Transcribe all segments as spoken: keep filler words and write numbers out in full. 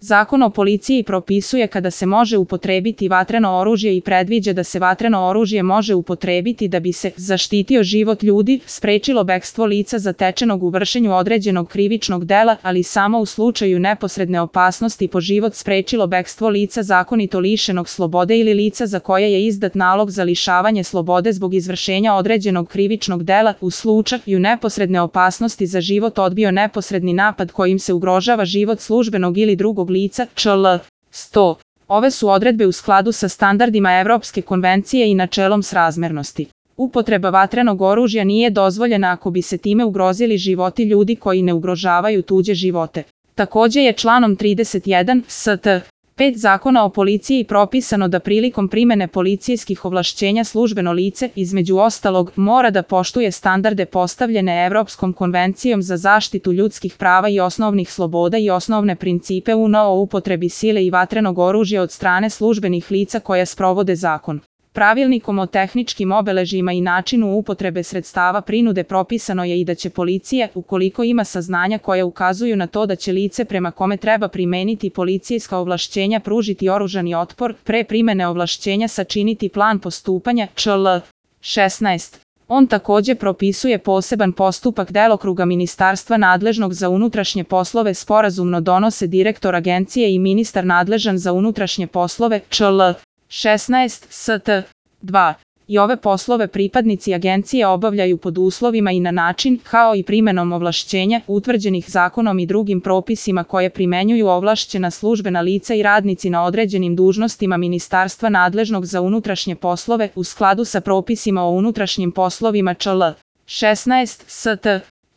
Zakon o policiji propisuje kada se može upotrebiti vatreno oružje i predviđa da se vatreno oružje može upotrebiti da bi se zaštitio život ljudi, sprečilo bekstvo lica zatečenog u vršenju određenog krivičnog dela, ali samo u slučaju neposredne opasnosti po život, sprečilo bekstvo lica zakonito lišenog slobode ili lica za koje je izdat nalog za lišavanje slobode zbog izvršenja određenog krivičnog dela, u slučaju neposredne opasnosti za život odbio neposredni napad kojim se ugrožava život službenog ili drugog lica, čl. sto. Ove su odredbe u skladu sa standardima Evropske konvencije i načelom srazmernosti. Upotreba vatrenog oružja nije dozvoljena ako bi se time ugrozili životi ljudi koji ne ugrožavaju tuđe živote. Takođe je članom trideset jedan st. pet Zakona o policiji propisano da prilikom primene policijskih ovlašćenja službeno lice, između ostalog, mora da poštuje standarde postavljene Evropskom konvencijom za zaštitu ljudskih prava i osnovnih sloboda i osnovne principe U N O o upotrebi sile i vatrenog oružja od strane službenih lica koja sprovode zakon. Pravilnikom o tehničkim obeležjima i načinu upotrebe sredstava prinude propisano je i da će policija, ukoliko ima saznanja koja ukazuju na to da će lice prema kome treba primeniti policijska ovlašćenja pružiti oružani otpor, pre primene ovlašćenja sačiniti plan postupanja, čl. šesnaest. On takođe propisuje poseban postupak delokruga ministarstva nadležnog za unutrašnje poslove, sporazumno donose direktor agencije i ministar nadležan za unutrašnje poslove, čl. šesnaest st. dva. I ove poslove pripadnici agencije obavljaju pod uslovima i na način, kao i primenom ovlašćenja, utvrđenih zakonom i drugim propisima koje primenjuju ovlašćena službena lica i radnici na određenim dužnostima ministarstva nadležnog za unutrašnje poslove, u skladu sa propisima o unutrašnjim poslovima, čl. šesnaest st.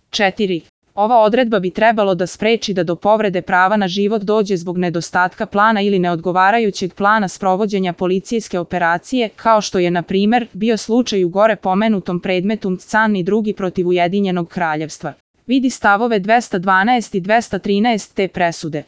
četiri. Ova odredba bi trebalo da spreči da do povrede prava na život dođe zbog nedostatka plana ili neodgovarajućeg plana sprovođenja policijske operacije, kao što je, na primer, bio slučaj u gore pomenutom predmetu Can i drugi protiv Ujedinjenog kraljevstva. Vidi stavove dvesta dvanaest i dvesta trinaest te presude.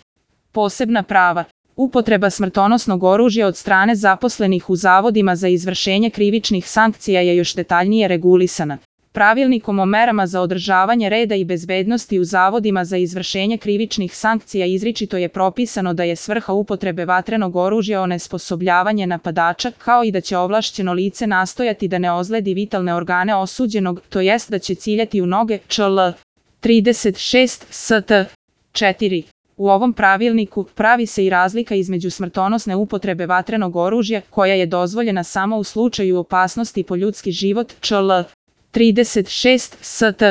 Posebna prava. Upotreba smrtonosnog oružja od strane zaposlenih u zavodima za izvršenje krivičnih sankcija je još detaljnije regulisana. Pravilnikom o merama za održavanje reda i bezbednosti u zavodima za izvršenje krivičnih sankcija izričito je propisano da je svrha upotrebe vatrenog oružja onesposobljavanje napadača, kao i da će ovlašćeno lice nastojati da ne ozledi vitalne organe osuđenog, to jest da će ciljati u noge, čl. trideset šest st. četiri. U ovom pravilniku pravi se i razlika između smrtonosne upotrebe vatrenog oružja, koja je dozvoljena samo u slučaju opasnosti po ljudski život, čl. trideset šest st.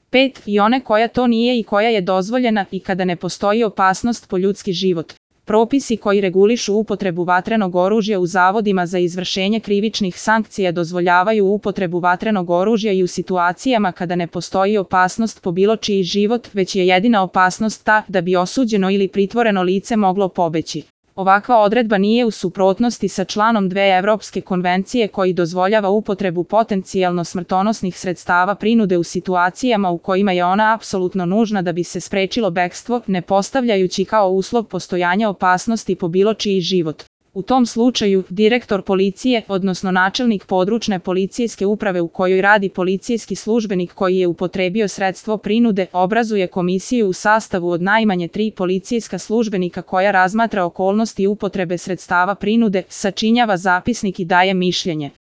pet, i one koja to nije i koja je dozvoljena i kada ne postoji opasnost po ljudski život. Propisi koji regulišu upotrebu vatrenog oružja u zavodima za izvršenje krivičnih sankcija dozvoljavaju upotrebu vatrenog oružja i u situacijama kada ne postoji opasnost po bilo čiji život, već je jedina opasnost ta da bi osuđeno ili pritvoreno lice moglo pobeći. Ovakva odredba nije u suprotnosti sa članom dve Evropske konvencije koji dozvoljava upotrebu potencijalno smrtonosnih sredstava prinude u situacijama u kojima je ona apsolutno nužna da bi se sprečilo bekstvo, ne postavljajući kao uslov postojanja opasnosti po bilo čiji život. U tom slučaju, direktor policije, odnosno načelnik područne policijske uprave u kojoj radi policijski službenik koji je upotrebio sredstvo prinude, obrazuje komisiju u sastavu od najmanje tri policijska službenika koja razmatra okolnosti upotrebe sredstava prinude, sačinjava zapisnik i daje mišljenje.